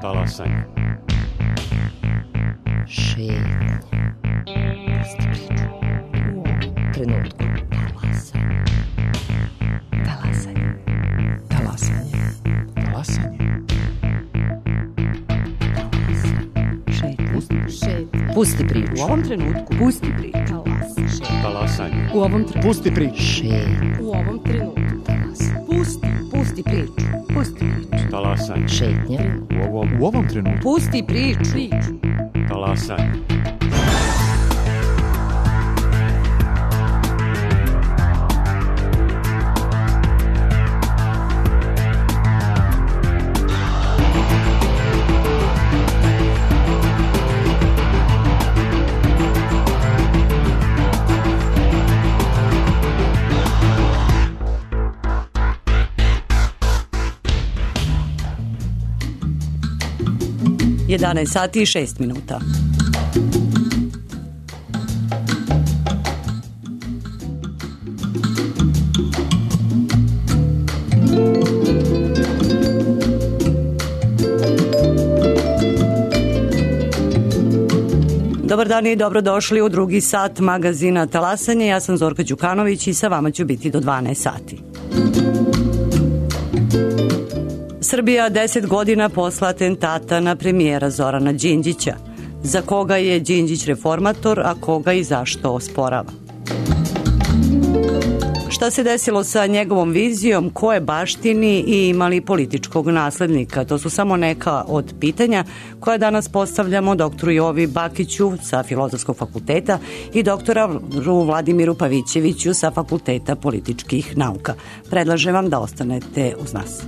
Talasanje. Šetnja. Pusti priču. U ovom trenutku. Talasanje. Talasanje. Talasanje. Pusti priču. U ovom trenutku. Pusti priču. Talasanje. U ovom trenutku. Pusti priču. Šetnja. U ovom trenutku. Pusti priču. Pusti priču. Talasanje. Šetnja. U ovom trenutku. Pusti priču. Talasanje. Jedanaest sati i 6 minuta. Dobar dan i dobrodošli u drugi sat magazina Talasanje. Ja sam Zorka Đukanović i sa vama ću biti do 12 sati. Srbija 10 godina posle atentata na premijera Zorana Đinđića. Za koga je Đinđić reformator, a koga i zašto osporava? Šta se desilo sa njegovom vizijom, ko je baštini i ima li političkog naslednika? To su samo neka od pitanja koja danas postavljamo doktoru Jovi Bakiću sa Filozofskog fakulteta i doktoru Vladimiru Pavićeviću sa Fakulteta političkih nauka. Predlažem vam da ostanete uz nas.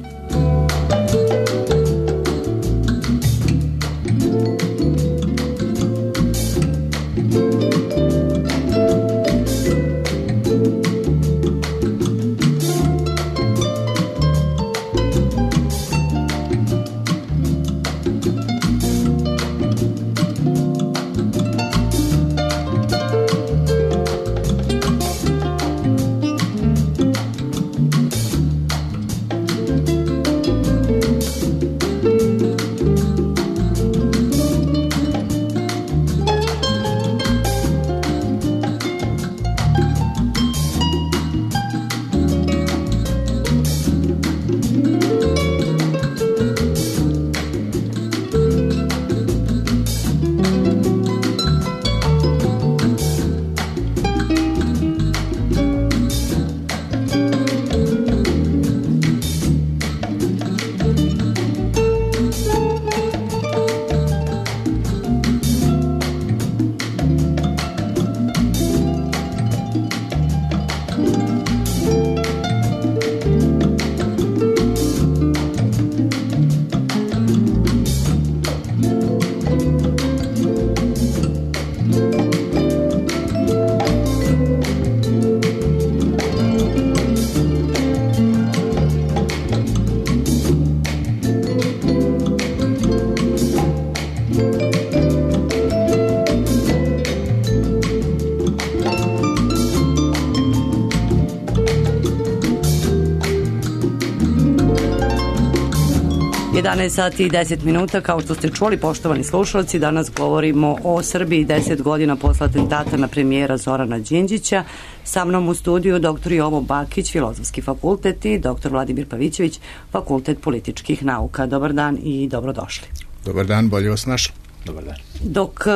Sati i 10 minuta, kao što ste čuli, poštovani slušalci, danas govorimo o Srbiji 10 godina posle atentata na premijera Zorana Đinđića. Sa mnom u studiju dr. Jovo Bakić, Filozofski fakultet i dr. Vladimir Pavićević, Fakultet političkih nauka. Dobar dan i dobrodošli. Dobar dan, bolje vas našli. Dobar dan. Dok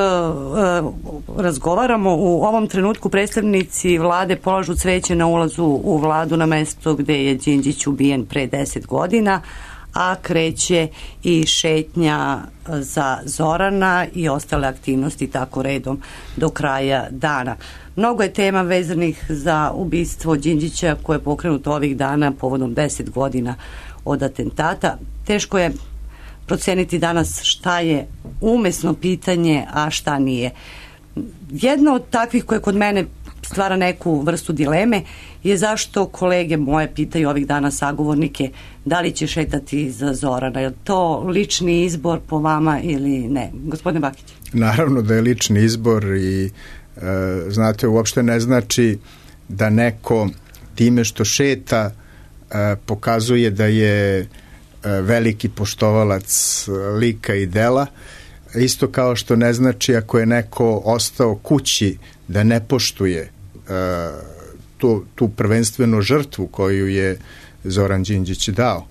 razgovaramo, u ovom trenutku predstavnici vlade polažu cveće na ulazu u vladu na mesto gde je Đinđić ubijen pre 10 godina, a kreće i šetnja za Zorana i ostale aktivnosti tako redom do kraja dana. Mnogo je tema vezanih za ubistvo Đinđića koje je pokrenuto ovih dana povodom 10 godina od atentata. Teško je proceniti danas šta je umesno pitanje, a šta nije. Jedno od takvih koje kod mene stvara neku vrstu dileme je zašto kolege moje pitaju ovih dana sagovornike da li će šetati za Zorana. Je to lični izbor po vama ili ne? Gospodine Bakić. Naravno da je lični izbor i znate, uopšte ne znači da neko time što šeta pokazuje da je veliki poštovalac lika i dela, isto kao što ne znači ako je neko ostao kući da ne poštuje tu prvenstvenu žrtvu koju je Zoran Đinđić dao.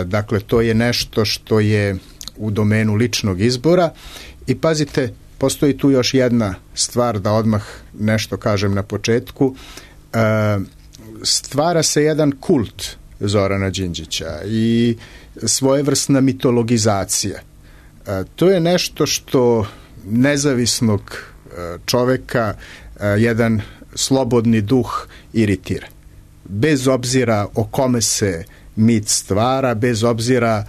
Dakle, to je nešto što je u domenu ličnog izbora i pazite, postoji tu još jedna stvar da odmah nešto kažem na početku. Stvara se jedan kult Zorana Đinđića i svojevrsna mitologizacija. To je nešto što nezavisnog čoveka jedan slobodni duh iritira. Bez obzira o kome se mit stvara, bez obzira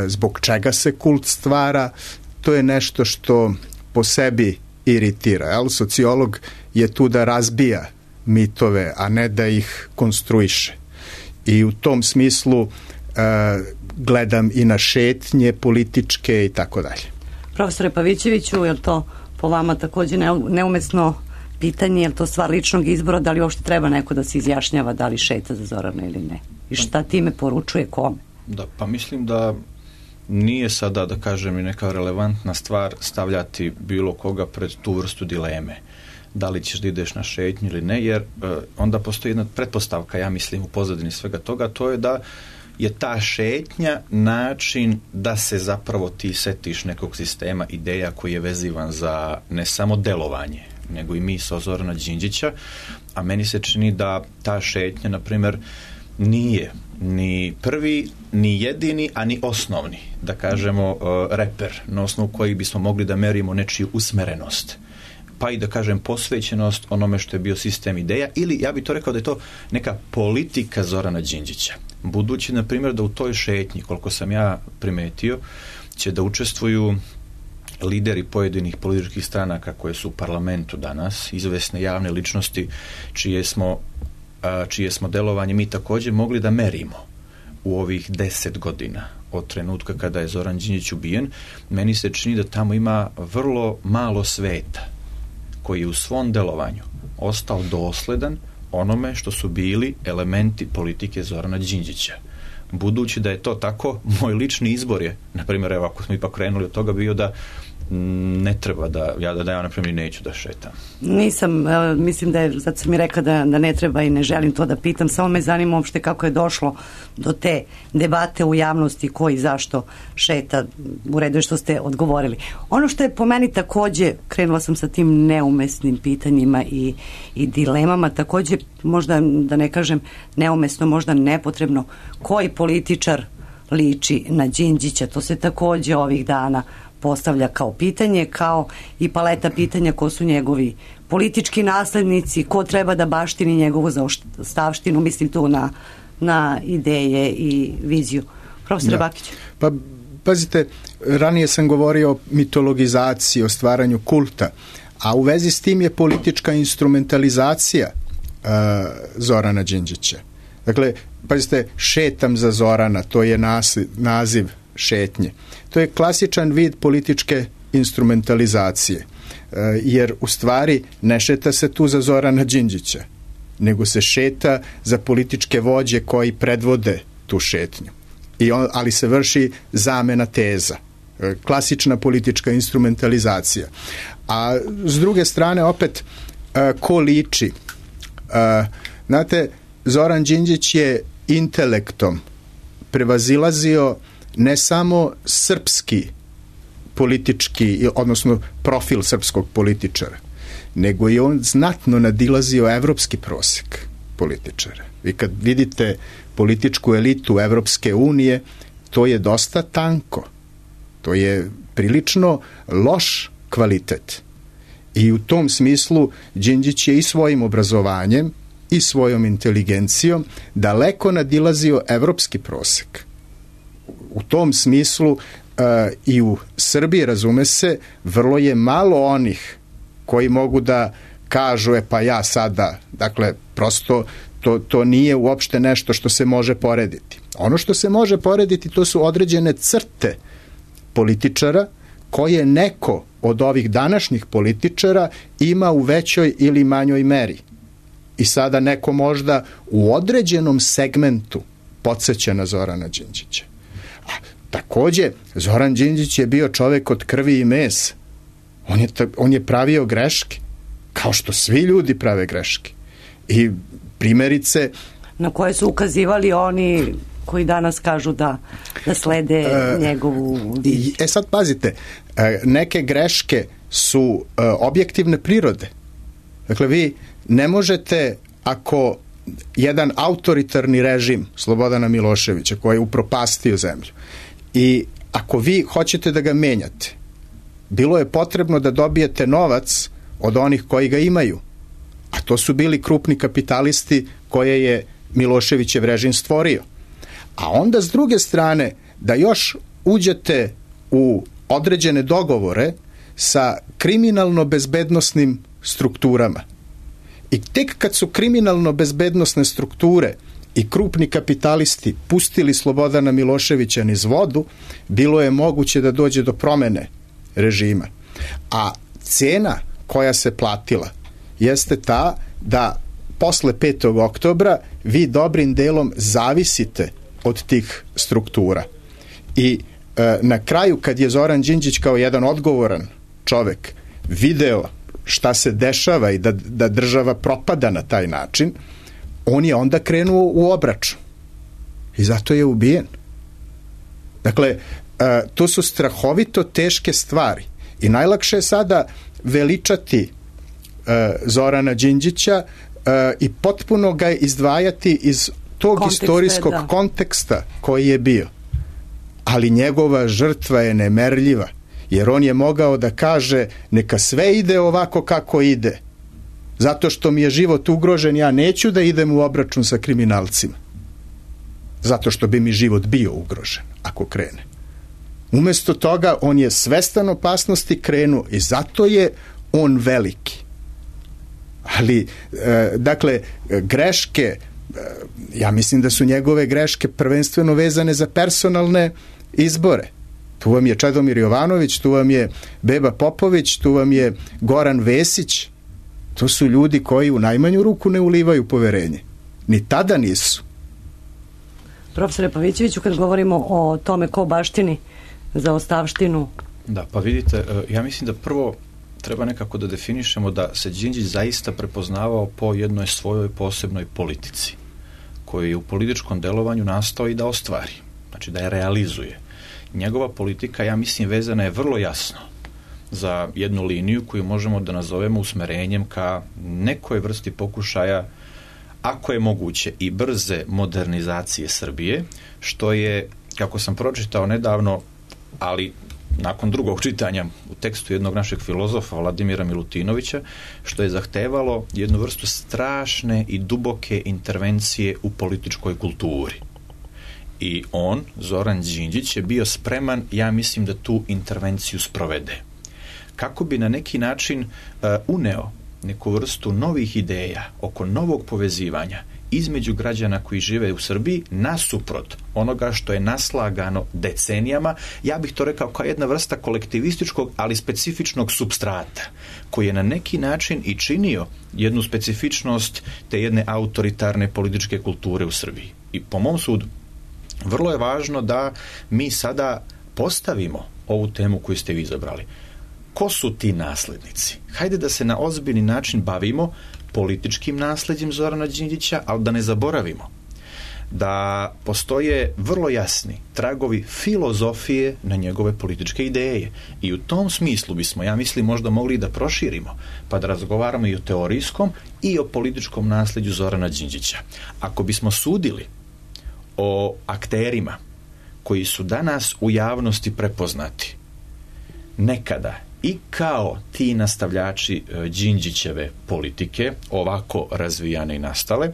zbog čega se kult stvara, to je nešto što po sebi iritira. Sociolog je tu da razbija mitove, a ne da ih konstruiše. I u tom smislu gledam i na šetnje političke i tako dalje. Profesore Pavićeviću, je li to po vama također neumesno pitanje, je li to stvar ličnog izbora, da li uopšte treba neko da se izjašnjava da li šeta za Zorana ili ne? I šta time poručuje kome? Da, pa mislim da nije sada, da kažem, i neka relevantna stvar stavljati bilo koga pred tu vrstu dileme. Da li ćeš da ideš na šetnju ili ne, jer onda postoji jedna pretpostavka, ja mislim, u pozadini svega toga, to je da je ta šetnja način da se zapravo ti setiš nekog sistema ideja koji je vezivan za ne samo delovanje, nego i misao Zorana Đinđića, a meni se čini da ta šetnja, na primjer, nije ni prvi, ni jedini, a ni osnovni, da kažemo, reper, na osnovu kojih bismo mogli da merimo nečiju usmerenost, pa i da kažem posvećenost onome što je bio sistem ideja, ili ja bih to rekao da je to neka politika Zorana Đinđića. Budući, na primjer, da u toj šetnji, koliko sam ja primetio, će da učestvuju lideri pojedinih političkih stranaka koje su u parlamentu danas, izvesne javne ličnosti čije smo delovanje mi također mogli da merimo u ovih 10 godina od trenutka kada je Zoran Đinđić ubijen. Meni se čini da tamo ima vrlo malo sveta koji je u svom delovanju ostao dosledan onome što su bili elementi politike Zorana Đinđića. Budući da je to tako, moj lični izbor je, na primjer, evo, ako smo ipak krenuli od toga, bio da ne treba da ja na primjer neću da šetam. Nisam, mislim da je, zato sam mi rekla da ne treba i ne želim to da pitam, samo me zanima uopšte kako je došlo do te debate u javnosti ko i zašto šeta. U redu je što ste odgovorili. Ono što je po meni također, krenula sam sa tim neumesnim pitanjima i dilemama, također možda da ne kažem neumesno, možda nepotrebno, koji političar liči na Đinđića, to se također ovih dana postavlja kao pitanje, kao i paleta pitanja ko su njegovi politički naslednici, ko treba da baštini njegovu zaostavštinu, mislim tu na ideje i viziju. Profesor Bakić. Pa, pazite, ranije sam govorio o mitologizaciji, o stvaranju kulta, a u vezi s tim je politička instrumentalizacija Zorana Đinđića. Dakle, pazite, šetam za Zorana, to je naziv šetnje. To je klasičan vid političke instrumentalizacije, jer u stvari ne šeta se tu za Zorana Đinđića, nego se šeta za političke vođe koji predvode tu šetnju. Ali se vrši zamena teza. Klasična politička instrumentalizacija. A s druge strane, opet, ko liči? Znate, Zoran Đinđić je intelektom prevazilazio ne samo srpski politički, odnosno profil srpskog političara, nego je on znatno nadilazio evropski prosek političara. Vi kad vidite političku elitu Evropske unije, to je dosta tanko. To je prilično loš kvalitet. I u tom smislu Đinđić je i svojim obrazovanjem i svojom inteligencijom daleko nadilazio evropski prosek. U tom smislu i u Srbiji, razume se, vrlo je malo onih koji mogu da kažu, pa ja sada, dakle, prosto to nije uopšte nešto što se može porediti. Ono što se može porediti, to su određene crte političara koje neko od ovih današnjih političara ima u većoj ili manjoj meri. I sada neko možda u određenom segmentu podsjeća na Zorana Đinđića. Takođe, Zoran Đinđić je bio čovek od krvi i mesa. On je pravio greške, kao što svi ljudi prave greške. I primjerice... Na koje su ukazivali oni koji danas kažu da slede njegovu... Sad pazite, neke greške su objektivne prirode. Dakle, vi ne možete, ako jedan autoritarni režim Slobodana Miloševića, koji je upropastio zemlju, i ako vi hoćete da ga menjate, bilo je potrebno da dobijete novac od onih koji ga imaju. A to su bili krupni kapitalisti koje je Miloševićev režim stvorio. A onda s druge strane da još uđete u određene dogovore sa kriminalno-bezbednosnim strukturama. I tek kad su kriminalno-bezbednosne strukture i krupni kapitalisti pustili Slobodana Miloševića niz vodu, bilo je moguće da dođe do promene režima. A cena koja se platila jeste ta da posle 5. oktobra vi dobrim delom zavisite od tih struktura. I na kraju, kad je Zoran Đinđić kao jedan odgovoran čovek video šta se dešava i da država propada na taj način, on je onda krenuo u obračun. I zato je ubijen. Dakle, to su strahovito teške stvari. I najlakše je sada veličati Zorana Đinđića i potpuno ga izdvajati iz tog istorijskog konteksta koji je bio. Ali njegova žrtva je nemerljiva, jer on je mogao da kaže neka sve ide ovako kako ide. Zato što mi je život ugrožen, ja neću da idem u obračun sa kriminalcima. Zato što bi mi život bio ugrožen ako krene. Umesto toga on je svestan opasnosti krenuo i zato je on veliki. Ali, dakle, greške, ja mislim da su njegove greške prvenstveno vezane za personalne izbore. Tu vam je Čedomir Jovanović, tu vam je Beba Popović, tu vam je Goran Vesić. To su ljudi koji u najmanju ruku ne ulivaju poverenje. Ni tada nisu. Profesore Pavićeviću, kad govorimo o tome ko baštini za ostavštinu... Da, pa vidite, ja mislim da prvo treba nekako da definišemo da se Đinđić zaista prepoznavao po jednoj svojoj posebnoj politici, koju je u političkom delovanju nastao i da ostvari, znači da je realizuje. Njegova politika, ja mislim, vezana je vrlo jasno za jednu liniju koju možemo da nazovemo usmerenjem ka nekoj vrsti pokušaja, ako je moguće, i brze modernizacije Srbije, što je, kako sam pročitao nedavno, ali nakon drugog čitanja u tekstu jednog našeg filozofa Vladimira Milutinovića, što je zahtevalo jednu vrstu strašne i duboke intervencije u političkoj kulturi. I on, Zoran Đinđić, je bio spreman, ja mislim, da tu intervenciju sprovede. Kako bi na neki način uneo neku vrstu novih ideja oko novog povezivanja između građana koji žive u Srbiji nasuprot onoga što je naslagano decenijama, ja bih to rekao kao jedna vrsta kolektivističkog, ali specifičnog supstrata, koji je na neki način i činio jednu specifičnost te jedne autoritarne političke kulture u Srbiji. I po mom sudu, vrlo je važno da mi sada postavimo ovu temu koju ste vi izabrali. Ko su ti naslednici? Hajde da se na ozbiljni način bavimo političkim nasleđem Zorana Đinđića, ali da ne zaboravimo da postoje vrlo jasni tragovi filozofije na njegove političke ideje. I u tom smislu bismo, ja mislim, možda mogli da proširimo, pa da razgovaramo i o teorijskom i o političkom nasleđu Zorana Đinđića. Ako bismo sudili o akterima koji su danas u javnosti prepoznati nekada i kao ti nastavljači Đinđićeve politike, ovako razvijane i nastale,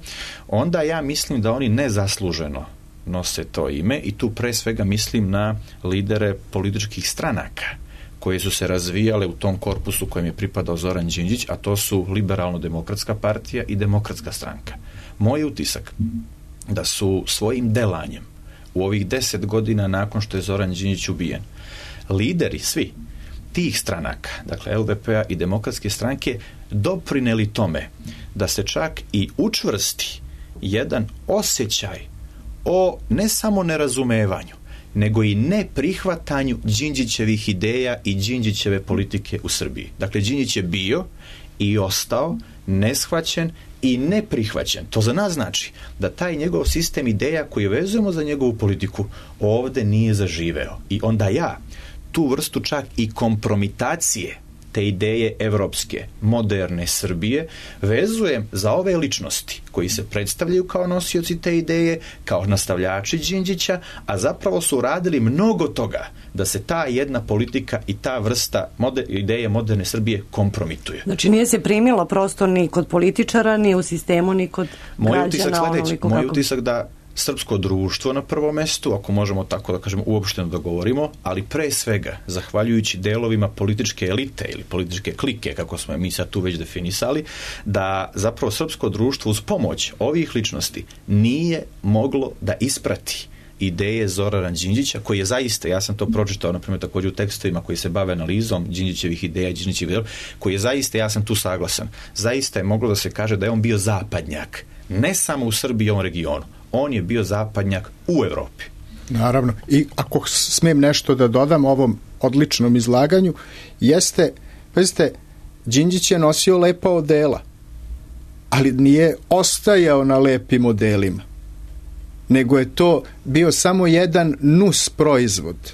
onda ja mislim da oni nezasluženo nose to ime i tu pre svega mislim na lidere političkih stranaka koje su se razvijale u tom korpusu kojem je pripadao Zoran Đinđić, a to su Liberalno-demokratska partija i Demokratska stranka. Moj utisak da su svojim delanjem u ovih 10 godina nakon što je Zoran Đinđić ubijen, lideri svi tih stranaka, dakle LDP-a i Demokratske stranke, doprineli tome da se čak i učvrsti jedan osjećaj o ne samo nerazumevanju, nego i neprihvatanju Đinđićevih ideja i Đinđićeve politike u Srbiji. Dakle, Đinđić je bio i ostao neshvaćen i neprihvaćen. To za nas znači da taj njegov sistem ideja koji vezujemo za njegovu politiku ovde nije zaživeo. I onda ja tu vrstu čak i kompromitacije te ideje evropske, moderne Srbije vezujem za ove ličnosti koji se predstavljaju kao nosioci te ideje, kao nastavljači Đinđića, a zapravo su uradili mnogo toga da se ta jedna politika i ta vrsta ideje moderne Srbije kompromituje. Znači nije se primilo prosto ni kod političara, ni u sistemu, ni kod građana. Moj utisak da srpsko društvo na prvom mestu, ako možemo tako da kažemo uopšteno da govorimo, ali pre svega, zahvaljujući delovima političke elite ili političke klike, kako smo mi sad tu već definisali, da zapravo srpsko društvo uz pomoć ovih ličnosti nije moglo da isprati ideje Zorana Đinđića, koji je zaista, ja sam to pročitao, na primjer, također u tekstovima koji se bave analizom Đinđićevih ideja i Đinđićevih ideja, koji je zaista, ja sam tu saglasan, zaista je moglo da se kaže da je on bio zapadnjak, ne samo u Srbiji i ovom regionu. On je bio zapadnjak u Evropi. Naravno. I ako smijem nešto da dodam ovom odličnom izlaganju, jeste, Đinđić je nosio lepa odela, ali nije ostajao na lepim modelima, nego je to bio samo jedan nus proizvod.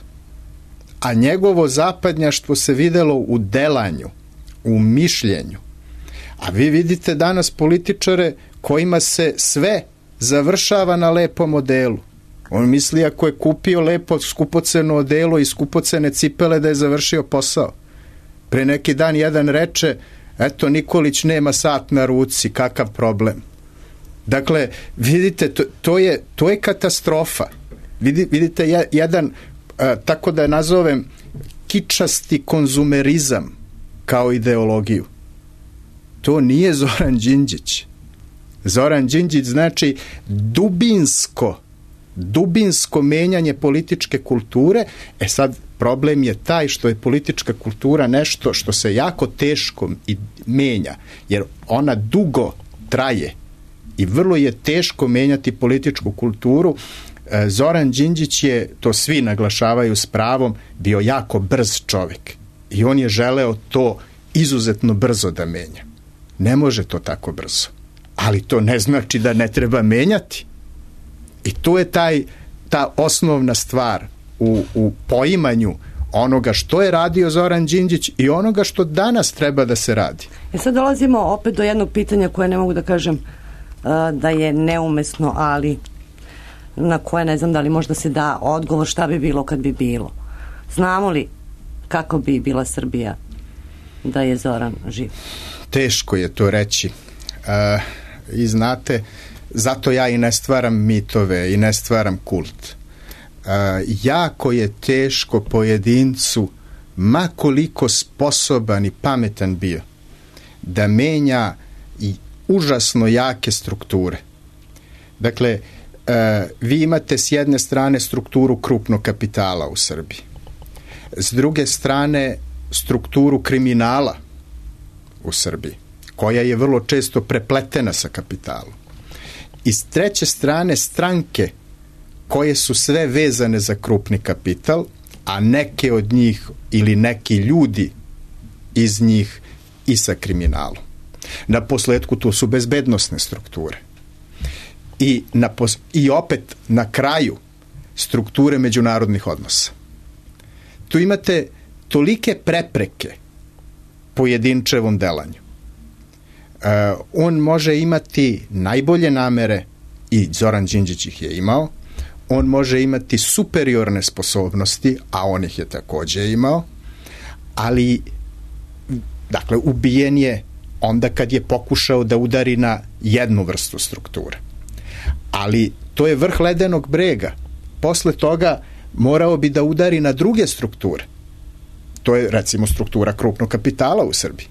A njegovo zapadnjaštvo se videlo u delanju, u mišljenju. A vi vidite danas političare kojima se sve završava na lepom modelu. On misli ako je kupio lepo skupoceno odelo i skupocene cipele da je završio posao. Pre neki dan jedan reče, eto Nikolić nema sat na ruci, kakav problem. Dakle, vidite, to je katastrofa. Vidite jedan, tako da je nazovem, kičasti konzumerizam kao ideologiju. To nije Zoran Đinđić. Zoran Đinđić znači dubinsko menjanje političke kulture. Sad problem je taj što je politička kultura nešto što se jako teško menja, jer ona dugo traje i vrlo je teško menjati političku kulturu. Zoran Đinđić je, to svi naglašavaju s pravom, bio jako brz čovjek i on je želeo to izuzetno brzo da menja. Ne može to tako brzo. Ali to ne znači da ne treba menjati. I to je ta osnovna stvar u poimanju onoga što je radio Zoran Đinđić i onoga što danas treba da se radi. Sad dolazimo opet do jednog pitanja koje ne mogu da kažem da je neumesno, ali na koje ne znam da li možda se da odgovor šta bi bilo kad bi bilo. Znamo li kako bi bila Srbija da je Zoran živ? Teško je to reći. I znate, zato ja i ne stvaram mitove i ne stvaram kult. Jako je teško pojedincu, ma koliko sposoban i pametan bio, da menja i užasno jake strukture. Dakle, vi imate s jedne strane strukturu krupnog kapitala u Srbiji, s druge strane strukturu kriminala u Srbiji, koja je vrlo često prepletena sa kapitalom. I s treće strane stranke koje su sve vezane za krupni kapital, a neke od njih ili neki ljudi iz njih i sa kriminalom. Na posledku to su bezbednosne strukture. I opet na kraju strukture međunarodnih odnosa. Tu imate tolike prepreke pojedinčevom delanju. On može imati najbolje namere i Zoran Đinđić ih je imao, on može imati superiorne sposobnosti, a on ih je također imao, ali dakle ubijen je onda kad je pokušao da udari na jednu vrstu strukture. Ali to je vrh ledenog brega. Posle toga morao bi da udari na druge strukture. To je recimo struktura krupnog kapitala u Srbiji.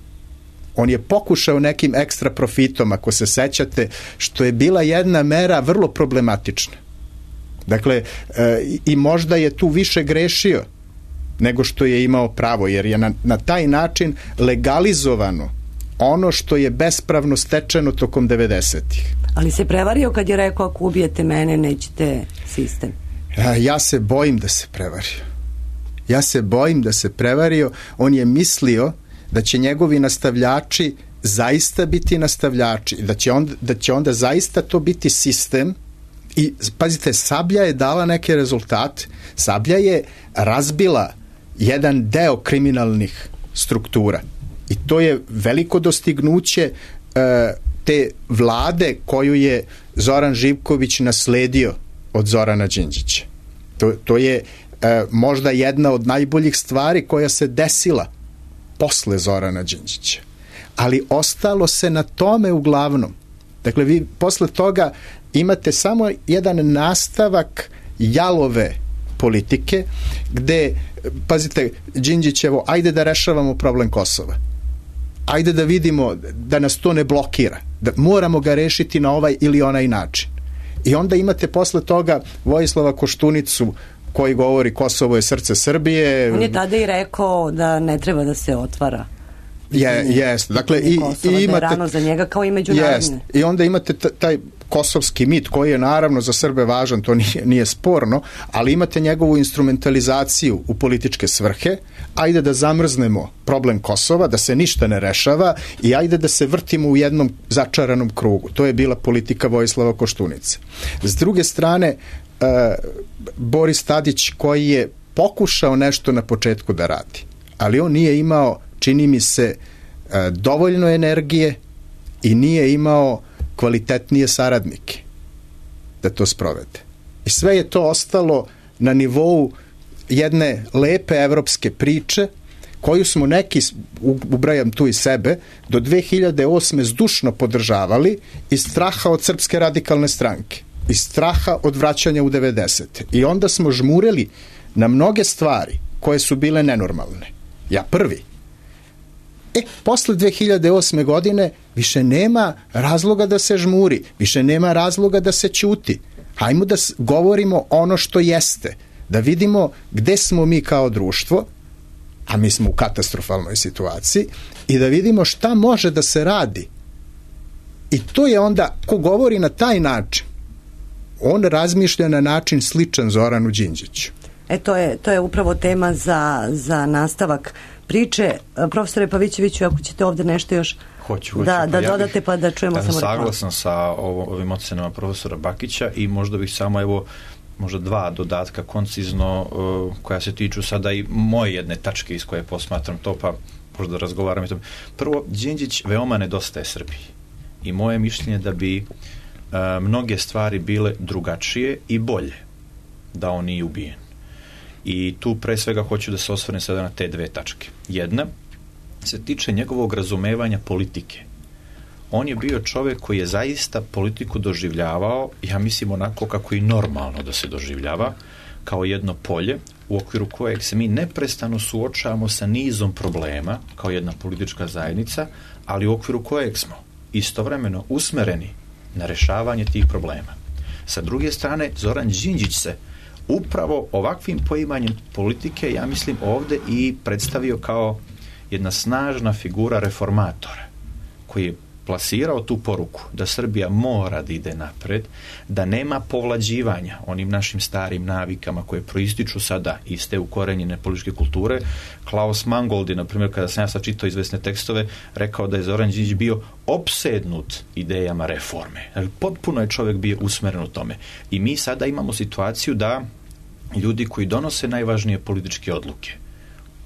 On je pokušao nekim ekstra profitom, ako se sećate, što je bila jedna mera vrlo problematična. Dakle, i možda je tu više grešio nego što je imao pravo, jer je na taj način legalizovano ono što je bespravno stečeno tokom 90-ih. Ali se prevario kad je rekao ako ubijete mene, nećete sistem. Ja se bojim da se prevario. On je mislio da će njegovi nastavljači zaista biti nastavljači, da će onda zaista to biti sistem. I pazite, Sablja je dala neke rezultate. Sablja je razbila jedan deo kriminalnih struktura i to je veliko dostignuće te vlade koju je Zoran Živković nasledio od Zorana Đinđića. To je možda jedna od najboljih stvari koja se desila posle Zorana Đinđića. Ali ostalo se na tome uglavnom. Dakle, vi posle toga imate samo jedan nastavak jalove politike gde, pazite, Đinđićevo, ajde da rešavamo problem Kosova. Ajde da vidimo da nas to ne blokira. Da moramo ga rešiti na ovaj ili onaj način. I onda imate posle toga Vojislava Koštunicu koji govori Kosovo je srce Srbije. On je tada i rekao da ne treba da se otvara. Jeste. Dakle, i imate rano za njega kao i međunarodne. I onda imate taj kosovski mit koji je naravno za Srbe važan, to nije sporno, ali imate njegovu instrumentalizaciju u političke svrhe. Ajde da zamrznemo problem Kosova, da se ništa ne rešava i ajde da se vrtimo u jednom začaranom krugu. To je bila politika Vojislava Koštunice. S druge strane, Boris Tadić koji je pokušao nešto na početku da radi, ali on nije imao, čini mi se, dovoljno energije i nije imao kvalitetnije saradnike da to sprovede. I sve je to ostalo na nivou jedne lepe evropske priče koju smo neki, ubrajam tu i sebe, do 2008. zdušno podržavali iz straha od Srpske radikalne stranke, iz straha od vraćanja u 90. I onda smo žmureli na mnoge stvari koje su bile nenormalne. Ja prvi. Posle 2008. godine više nema razloga da se žmuri, više nema razloga da se ćuti. Hajmo da govorimo ono što jeste, da vidimo gde smo mi kao društvo, a mi smo u katastrofalnoj situaciji, i da vidimo šta može da se radi. I to je onda, ko govori na taj način, on razmišlja na način sličan Zoranu Đinđiću. To je upravo tema za nastavak priče. Profesore Pavićeviću, ako ćete ovde nešto još da dodate pa da čujemo samo reklamu. Saglasan sa ovim ocenama profesora Bakića i možda bih samo možda dva dodatka koncizno koja se tiču sada i moje jedne tačke iz koje posmatram to, pa možda razgovaram. Prvo, Đinđić veoma nedostaje Srbiji i moje mišljenje da bi mnoge stvari bile drugačije i bolje da on nije ubijen. I tu pre svega hoću da se osvrnem sada na te dve tačke. Jedna se tiče njegovog razumevanja politike. On je bio čovjek koji je zaista politiku doživljavao, ja mislim onako kako i normalno da se doživljava, kao jedno polje u okviru kojeg se mi neprestano suočavamo sa nizom problema kao jedna politička zajednica, ali u okviru kojeg smo istovremeno usmereni na rešavanje tih problema. Sa druge strane, Zoran Đinđić se upravo ovakvim poimanjem politike, ja mislim, ovde i predstavio kao jedna snažna figura reformatora, koji je plasirao tu poruku da Srbija mora da ide napred, da nema povlađivanja onim našim starim navikama koje proističu sada iz te ukorenjene političke kulture. Klaus Mangold je, na primjer, kada sam ja sad čitao izvesne tekstove, rekao da je Zoran Đinđić bio opsednut idejama reforme. Potpuno je čovjek bio usmeren u tome. I mi sada imamo situaciju da ljudi koji donose najvažnije političke odluke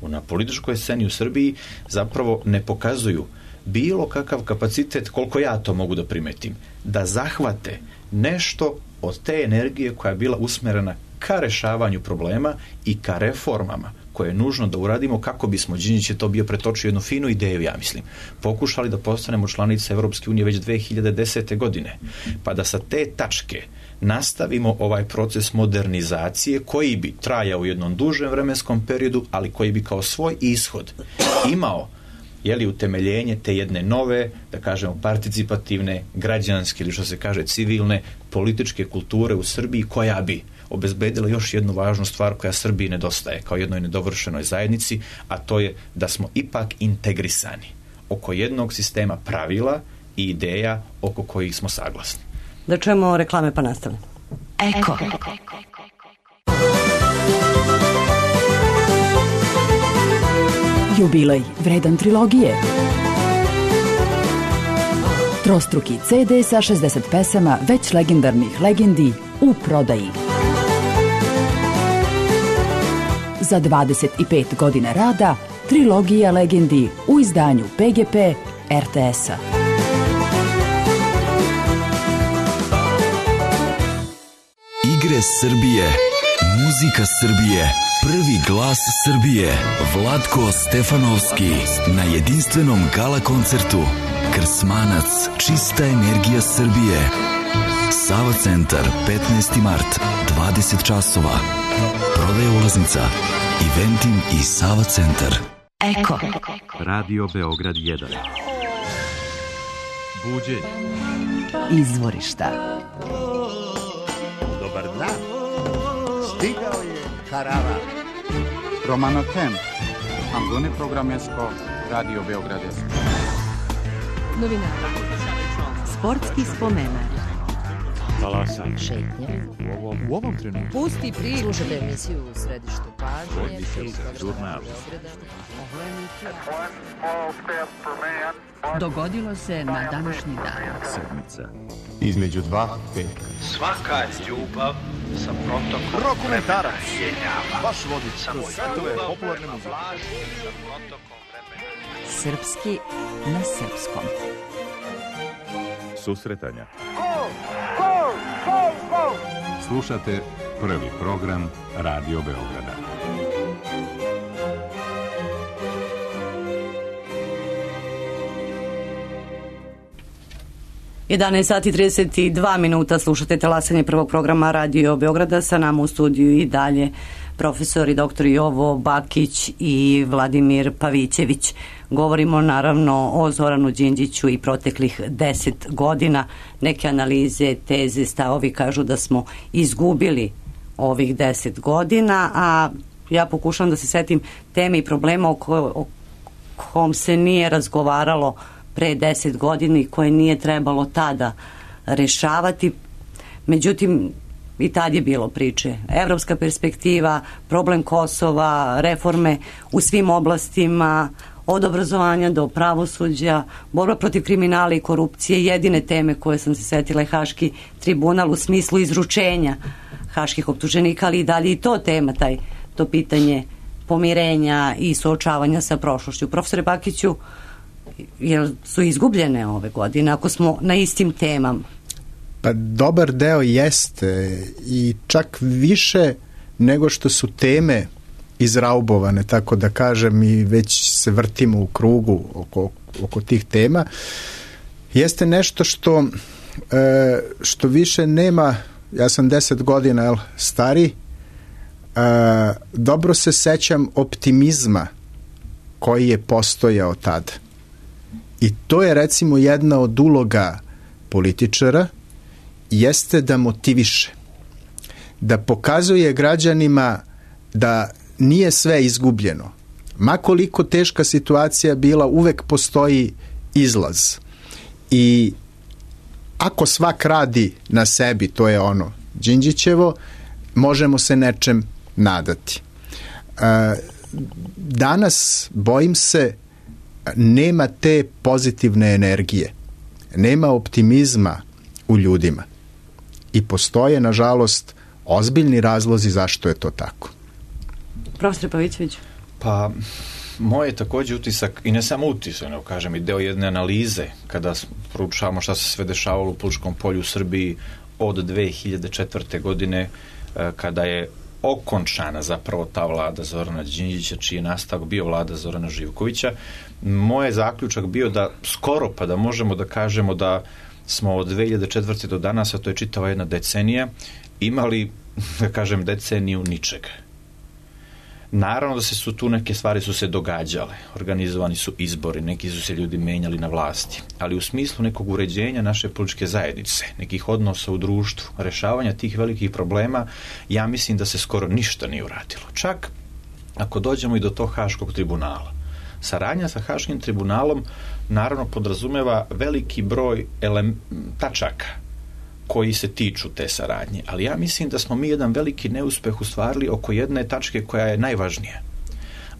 na političkoj sceni u Srbiji zapravo ne pokazuju bilo kakav kapacitet, koliko ja to mogu da primetim, da zahvate nešto od te energije koja je bila usmerena ka rešavanju problema i ka reformama koje je nužno da uradimo kako bismo, Đinđić je to bio pretočio jednu finu ideju, ja mislim, pokušali da postanemo članice Evropske unije već 2010. godine, pa da sa te tačke nastavimo ovaj proces modernizacije koji bi trajao u jednom dužem vremenskom periodu, ali koji bi kao svoj ishod imao utemeljenje te jedne nove, da kažemo, participativne, građanske ili što se kaže civilne političke kulture u Srbiji, koja bi obezbedila još jednu važnu stvar koja Srbiji nedostaje kao jednoj nedovršenoj zajednici, a to je da smo ipak integrisani oko jednog sistema pravila i ideja oko kojih smo saglasni. Da čujemo reklame pa nastavljamo. Eko. Jubilej vredan trilogije. Trostruki CD sa 60 pesama već legendarnih legendi u prodaji. Za 25 godina rada, trilogija legendi u izdanju PGP RTS-a. Igre Srbije, muzika Srbije, prvi glas Srbije, Vlatko Stefanovski na jedinstvenom gala koncertu. Krsmanac, čista energija Srbije. Sava centar, 15. mart, 20 časova. Prodaja ulaznica, Eventim i Sava centar. Eko. Radio Beograd 1. Buđenje. Izvorišta. Dobar dan. Stigao je karavan. Romano Tem. Ambune programesko Radio Beograd 1. Novinara. Sportski spomenar. Talasanje. Šetnje. U ovom trenutku. Pusti priču. Slušajte emisiju u središtu pažnje. Žurnal. Dogodilo se na današnji dan. Sedmica. Između dva petka. Svaka ljubav sa protokom Rokomentarac. jenjava. Baš vodič. Samo Svetove ljubav popularne muzike. vlaži sa protokom vremena. Srpski na srpskom. Susretanja. Slušate prvi program Radio Beograda. Sati 32 minuta, slušate talasanje prvog programa Radio Beograda. Sa nama u studiju i dalje profesori dr. Jovo Bakić i Vladimir Pavićević. Govorimo naravno o Zoranu Đinđiću i proteklih 10 godina. Neke analize, teze, stavovi kažu da smo izgubili ovih 10 godina, a ja pokušam da se setim teme i problema o kom se nije razgovaralo pre 10 godina i koje nije trebalo tada rešavati. Međutim, i tad je bilo priče. Evropska perspektiva, problem Kosova, reforme u svim oblastima, od obrazovanja do pravosuđa, borba protiv kriminala i korupcije. Jedine teme koje sam se setila je Haški tribunal u smislu izručenja haških optuženika, ali i dalje i to tema, to pitanje pomirenja i suočavanja sa prošlošću. Profesore Bakiću, jer su izgubljene ove godine ako smo na istim temama? Pa dobar deo jeste i čak više nego što su teme izraubovane, tako da kažem, i već se vrtimo u krugu oko tih tema. Jeste nešto što više nema, ja sam 10 godina stari, dobro se sećam optimizma koji je postojao tada. I to je recimo jedna od uloga političara, jeste da motiviše, da pokazuje građanima da nije sve izgubljeno. Ma koliko teška situacija bila, uvek postoji izlaz. I ako svak radi na sebi, to je ono Đinđićevo, možemo se nečem nadati. Danas, bojim se, nema te pozitivne energije, nema optimizma u ljudima i postoje, nažalost, ozbiljni razlozi zašto je to tako. Profesor Pavićević? Pa, moj je također utisak, i ne samo utisak, nego kažem i deo jedne analize, kada proučavamo šta se sve dešavalo u političkom polju u Srbiji od 2004. godine, kada je okončana zapravo ta vlada Zorana Đinđića, čiji je nastavak bio vlada Zorana Živkovića. Moj je zaključak bio da skoro pa da možemo da kažemo da smo od 2004. do danas, a to je čitava jedna decenija, imali, da kažem, deceniju ničega. Naravno da su tu neke stvari su se događale, organizovani su izbori, neki su se ljudi menjali na vlasti, ali u smislu nekog uređenja naše političke zajednice, nekih odnosa u društvu, rešavanja tih velikih problema, ja mislim da se skoro ništa nije uradilo. Čak ako dođemo i do tog Haškog tribunala. Saradnja sa Haškim tribunalom naravno podrazumeva veliki broj tačaka koji se tiču te saradnje, ali ja mislim da smo mi jedan veliki neuspeh ostvarili oko jedne tačke koja je najvažnija,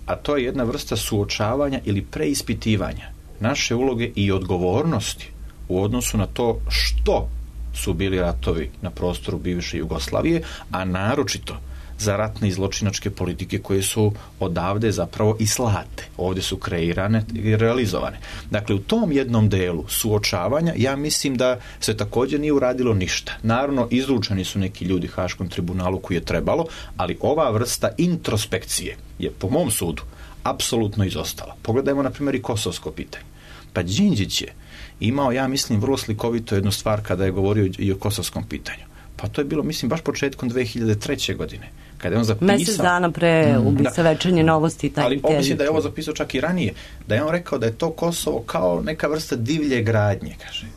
a to je jedna vrsta suočavanja ili preispitivanja naše uloge i odgovornosti u odnosu na to što su bili ratovi na prostoru bivše Jugoslavije, a naročito za ratne i zločinačke politike koje su odavde zapravo i slate. Ovdje su kreirane i realizovane. Dakle, u tom jednom delu suočavanja ja mislim da se također nije uradilo ništa. Naravno, izručeni su neki ljudi Haškom tribunalu koji je trebalo, ali ova vrsta introspekcije je, po mom sudu, apsolutno izostala. Pogledajmo, na primjer, i kosovsko pitanje. Pa Đinđić je imao, ja mislim, vrlo slikovito jednu stvar kada je govorio i o kosovskom pitanju. Pa to je bilo, mislim, baš početkom 2003. godine. Kada je on zapisao... Mjesec dana pre ubica Večernje novosti. Ali mislim da je ovo zapisao čak i ranije. Da je on rekao da je to Kosovo kao neka vrsta divlje gradnje, kaže.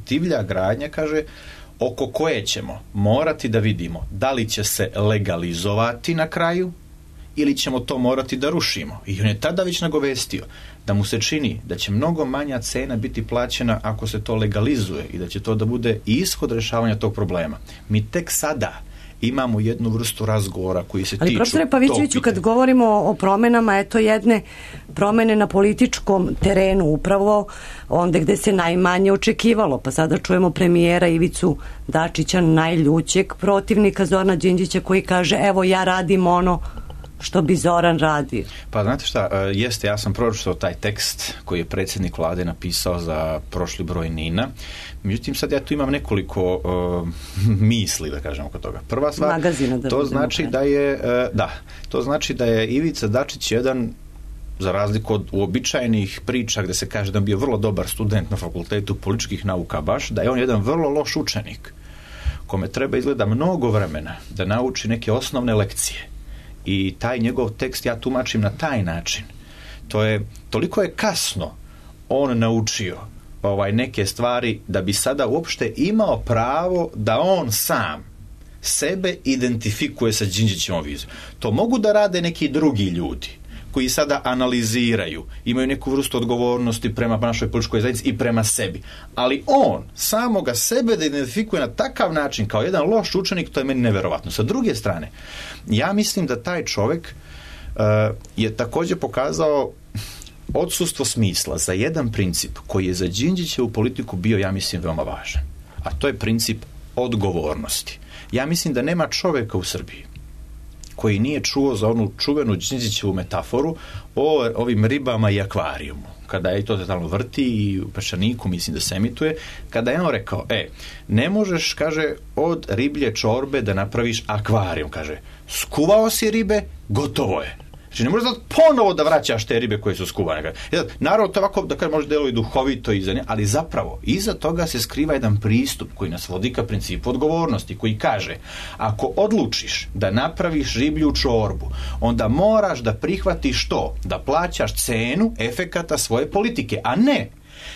Divlja gradnja, kaže, oko koje ćemo morati da vidimo da li će se legalizovati na kraju ili ćemo to morati da rušimo. I on je tada već nagovestio da mu se čini da će mnogo manja cena biti plaćena ako se to legalizuje i da će to da bude ishod rješavanja tog problema. Mi tek sada imamo jednu vrstu razgovora koji se tiču... Ali profesore Pavićeviću, kad govorimo o promenama, eto jedne promene na političkom terenu, upravo onda gde se najmanje očekivalo. Pa sada čujemo premijera Ivicu Dačića, najljućeg protivnika Zorana Đinđića, koji kaže, evo ja radim ono što bi Zoran radio. Pa znate šta, jeste, ja sam pročitao taj tekst koji je predsjednik vlade napisao za prošli broj NIN-a. Međutim, sad ja tu imam nekoliko misli, da kažem, oko toga. Prva stvar, to znači da je Ivica Dačić jedan, za razliku od uobičajenih priča gde se kaže da je bio vrlo dobar student na fakultetu političkih nauka, baš da je on jedan vrlo loš učenik kome treba izgleda mnogo vremena da nauči neke osnovne lekcije. I taj njegov tekst ja tumačim na taj način. Toliko je kasno on naučio neke stvari da bi sada uopšte imao pravo da on sam sebe identifikuje sa Đinđićevom vizijom. To mogu da rade neki drugi ljudi koji sada analiziraju, imaju neku vrstu odgovornosti prema našoj političkoj zajednici i prema sebi. Ali on samoga sebe da identifikuje na takav način kao jedan loš učenik, to je meni neverovatno. Sa druge strane, ja mislim da taj čovjek je također pokazao odsustvo smisla za jedan princip koji je za Đinđićevu politiku bio, ja mislim, veoma važan. A to je princip odgovornosti. Ja mislim da nema čovjeka u Srbiji koji nije čuo za onu čuvenu Đinđićevu metaforu o ovim ribama i akvarijumu. Kada je to totalno vrti i u Peščaniku, mislim da se emituje, kada je on rekao, ne možeš, kaže, od riblje čorbe da napraviš akvarijum, kaže, skuvao si ribe, gotovo je. Znači, ne možeš ponovo da vraćaš te ribe koje su skuvane. Naravno, to ovako, da kaže, može deluje duhovito ali zapravo, iza toga se skriva jedan pristup koji nas vodi ka principu odgovornosti, koji kaže, ako odlučiš da napraviš riblju čorbu, onda moraš da prihvatiš to, da plaćaš cenu efekata svoje politike, a ne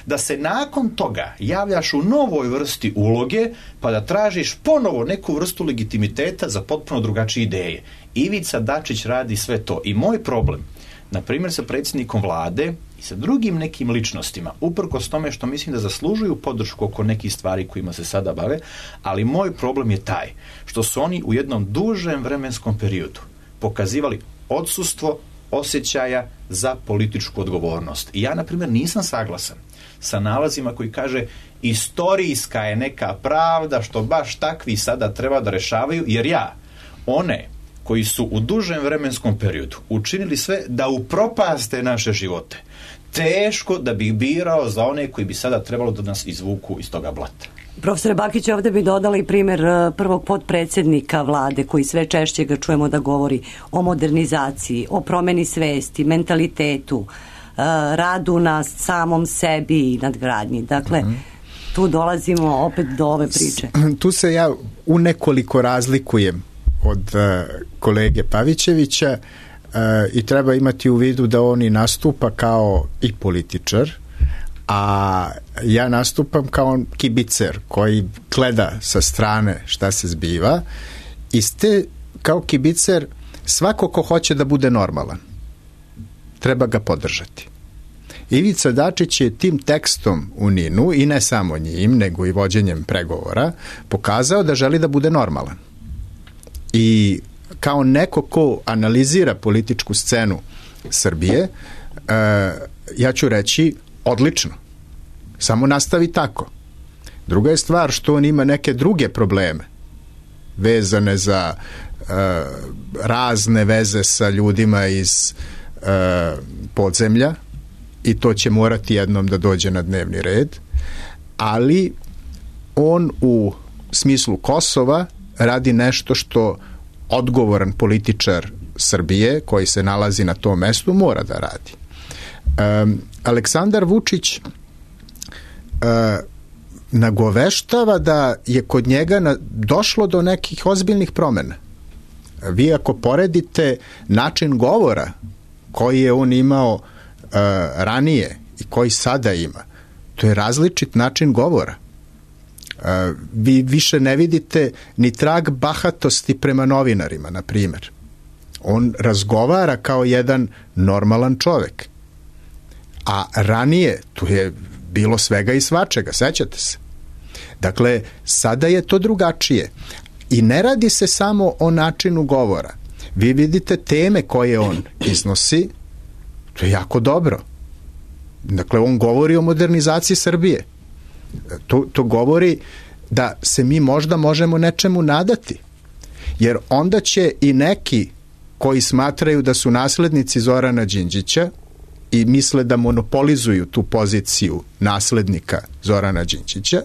da se nakon toga javljaš u novoj vrsti uloge pa da tražiš ponovo neku vrstu legitimiteta za potpuno drugačije ideje. Ivica Dačić radi sve to. I moj problem, na primjer sa predsjednikom vlade i sa drugim nekim ličnostima, uprkos tome što mislim da zaslužuju podršku oko nekih stvari kojima se sada bave, ali moj problem je taj što su oni u jednom dužem vremenskom periodu pokazivali odsustvo osjećaja za političku odgovornost. I ja, na primjer, nisam saglasan sa nalazima koji kaže istorijska je neka pravda što baš takvi sada treba da rešavaju, jer ja one koji su u dužem vremenskom periodu učinili sve da upropaste naše živote, teško da bih birao za one koji bi sada trebalo da nas izvuku iz toga blata. Profesore Bakić, ovdje bi dodala i primjer prvog potpredsjednika vlade koji sve češće ga čujemo da govori o modernizaciji, o promjeni svesti, mentalitetu, radu na samom sebi i nadgradnji. Dakle, tu dolazimo opet do ove priče. Tu se ja u nekoliko razlikujem od kolege Pavićevića i treba imati u vidu da on i nastupa kao i političar, a ja nastupam kao kibicer koji gleda sa strane šta se zbiva i kao kibicer svako ko hoće da bude normalan treba ga podržati. Ivica Dačić je tim tekstom u NIN-u i ne samo njim, nego i vođenjem pregovora pokazao da želi da bude normalan. I kao neko ko analizira političku scenu Srbije, ja ću reći odlično. Samo nastavi tako. Druga je stvar što on ima neke druge probleme vezane za razne veze sa ljudima iz podzemlja i to će morati jednom da dođe na dnevni red, ali on u smislu Kosova radi nešto što odgovoran političar Srbije koji se nalazi na tom mestu mora da radi. Aleksandar Vučić nagoveštava da je kod njega došlo do nekih ozbiljnih promena. Vi ako poredite način govora koji je on imao ranije i koji sada ima, to je različit način govora. Vi više ne vidite ni trag bahatosti prema novinarima, na primjer. On razgovara kao jedan normalan čovek. A ranije tu je bilo svega i svačega, sećate se? Dakle, sada je to drugačije. I ne radi se samo o načinu govora. Vi vidite teme koje on iznosi, to je jako dobro. Dakle, on govori o modernizaciji Srbije. To govori da se mi možda možemo nečemu nadati. Jer onda će i neki koji smatraju da su naslednici Zorana Đinđića i misle da monopolizuju tu poziciju naslednika Zorana Đinđića,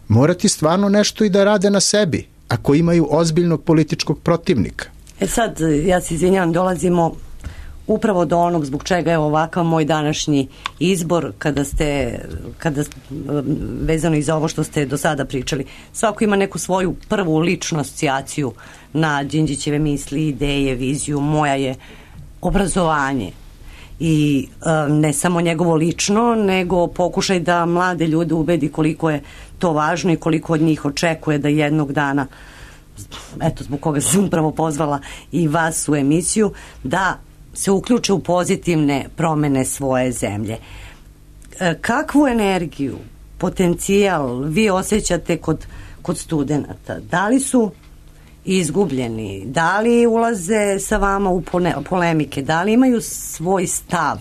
morati stvarno nešto i da rade na sebi, ako imaju ozbiljnog političkog protivnika. Sad, ja se izvinjam, dolazimo upravo do onog zbog čega je ovakav moj današnji izbor, kada vezano i za ovo što ste do sada pričali. Svako ima neku svoju prvu ličnu asocijaciju na Đinđićeve misli, ideje, viziju. Moja je obrazovanje. I ne samo njegovo lično, nego pokušaj da mlade ljude ubedi koliko je to važno i koliko od njih očekuje da jednog dana, eto zbog koga sam upravo pozvala i vas u emisiju, da se uključe u pozitivne promene svoje zemlje. Kakvu energiju, potencijal vi osjećate kod studenata? Da li su izgubljeni? Da li ulaze sa vama u polemike? Da li imaju svoj stav?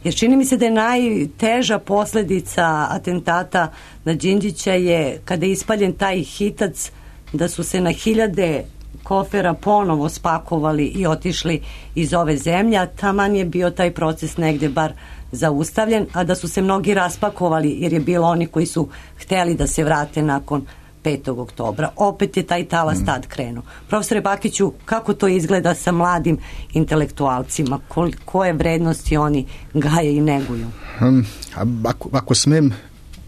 Jer čini mi se da je najteža posledica atentata na Đinđića je kada je ispaljen taj hitac, da su se na hiljade kofera ponovo spakovali i otišli iz ove zemlje, a taman je bio taj proces negde bar zaustavljen, a da su se mnogi raspakovali jer je bilo oni koji su hteli da se vrate nakon 5. oktobra. Opet je taj talas tad krenuo. Profesore Bakiću, kako to izgleda sa mladim intelektualcima? Koje vrednosti oni gaje i neguju? Ako smem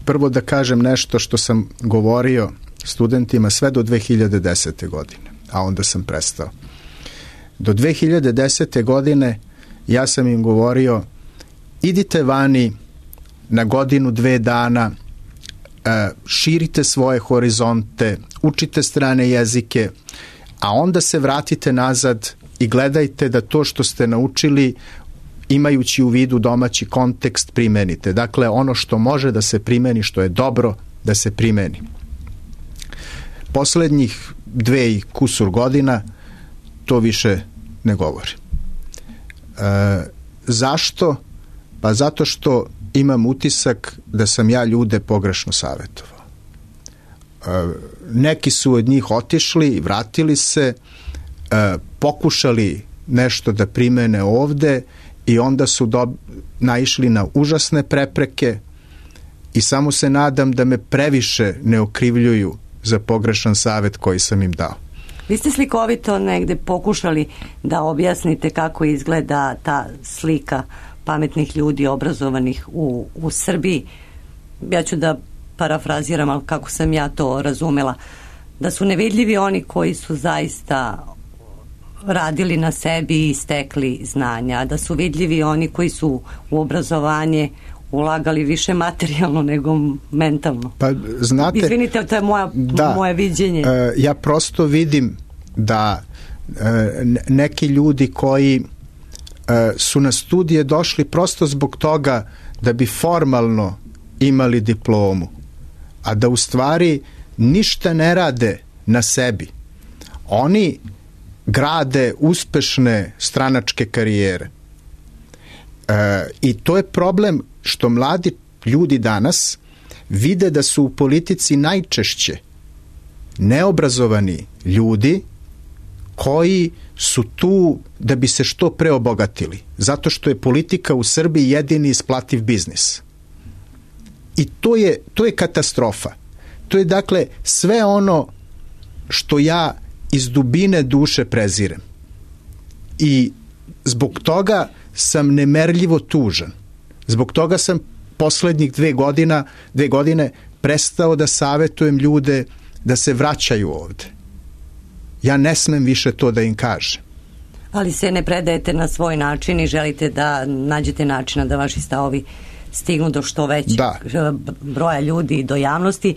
prvo da kažem nešto što sam govorio studentima sve do 2010. godine, a onda sam prestao. Do 2010. godine ja sam im govorio, idite vani na godinu, 2 dana, širite svoje horizonte, učite strane jezike, a onda se vratite nazad i gledajte da to što ste naučili, imajući u vidu domaći kontekst, primenite. Dakle, ono što može da se primeni, što je dobro, da se primeni. Poslednjih 2 i kusur godina to više ne govori. Zašto? Pa zato što imam utisak da sam ja ljude pogrešno savjetovao. Neki su od njih otišli i vratili se, pokušali nešto da primene ovde i onda su naišli na užasne prepreke i samo se nadam da me previše ne okrivljuju za pogrešan savjet koji sam im dao. Vi ste slikovito negde pokušali da objasnite kako izgleda ta slika pametnih ljudi obrazovanih u Srbiji. Ja ću da parafraziram, ali kako sam ja to razumela, da su nevidljivi oni koji su zaista radili na sebi i stekli znanja, da su vidljivi oni koji su u obrazovanje ulagali više materijalno nego mentalno. Pa znate, izvinite, to je moje viđenje. Ja prosto vidim da neki ljudi koji su na studije došli prosto zbog toga da bi formalno imali diplomu, a da u stvari ništa ne rade na sebi. Oni grade uspešne stranačke karijere. I to je problem što mladi ljudi danas vide da su u politici najčešće neobrazovani ljudi koji su tu da bi se što pre obogatili, zato što je politika u Srbiji jedini isplativ biznis. I to je katastrofa. To je dakle sve ono što ja iz dubine duše prezirem. I zbog toga sam nemerljivo tužan. Zbog toga sam poslednjih 2 godine prestao da savetujem ljude da se vraćaju ovde. Ja ne smem više to da im kažem. Ali se ne predajete na svoj način i želite da nađete načina da vaši stavovi stignu do što većeg broja ljudi i do javnosti.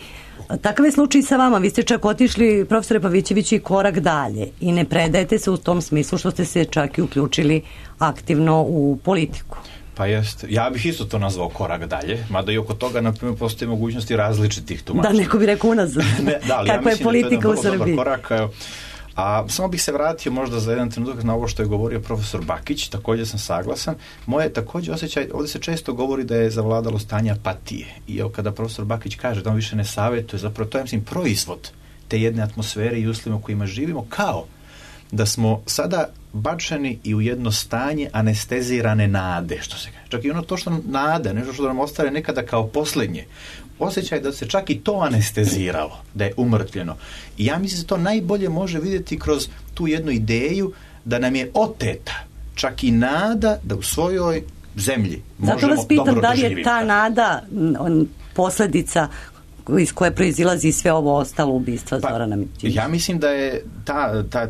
Takav je slučaj sa vama. Vi ste čak otišli, profesore Pavićević, i korak dalje i ne predajete se u tom smislu što ste se čak i uključili aktivno u politiku. Pa jest. Ja bih isto to nazvao korak dalje, mada i oko toga, na primjer, postoje mogućnosti različitih tumačenja. Da, neko bi rekao unazad. Kakva je politika u Srbiji. A samo bih se vratio možda za jedan trenutak na ovo što je govorio profesor Bakić, također sam saglasan. Moje također osjećaj, ovdje se često govori da je zavladalo stanje apatije. I evo kada profesor Bakić kaže da on više ne savjetuje, zapravo to je, mislim, proizvod te jedne atmosfere i uslova u kojima živimo, kao da smo sada bačeni i u jedno stanje anestezirane nade, što se kaže. Čak i ono to što nam nade, nešto što nam ostane nekada kao posljednje. Osjećaj da se čak i to anesteziralo, da je umrtvljeno. I ja mislim da se to najbolje može vidjeti kroz tu jednu ideju da nam je oteta čak i nada da u svojoj zemlji možemo dobro doživjeti. Zato vas pitam da li je ta nada posljedica iz koje proizilazi sve ovo ostalo ubistva Zorana Đinđića? Ja mislim da je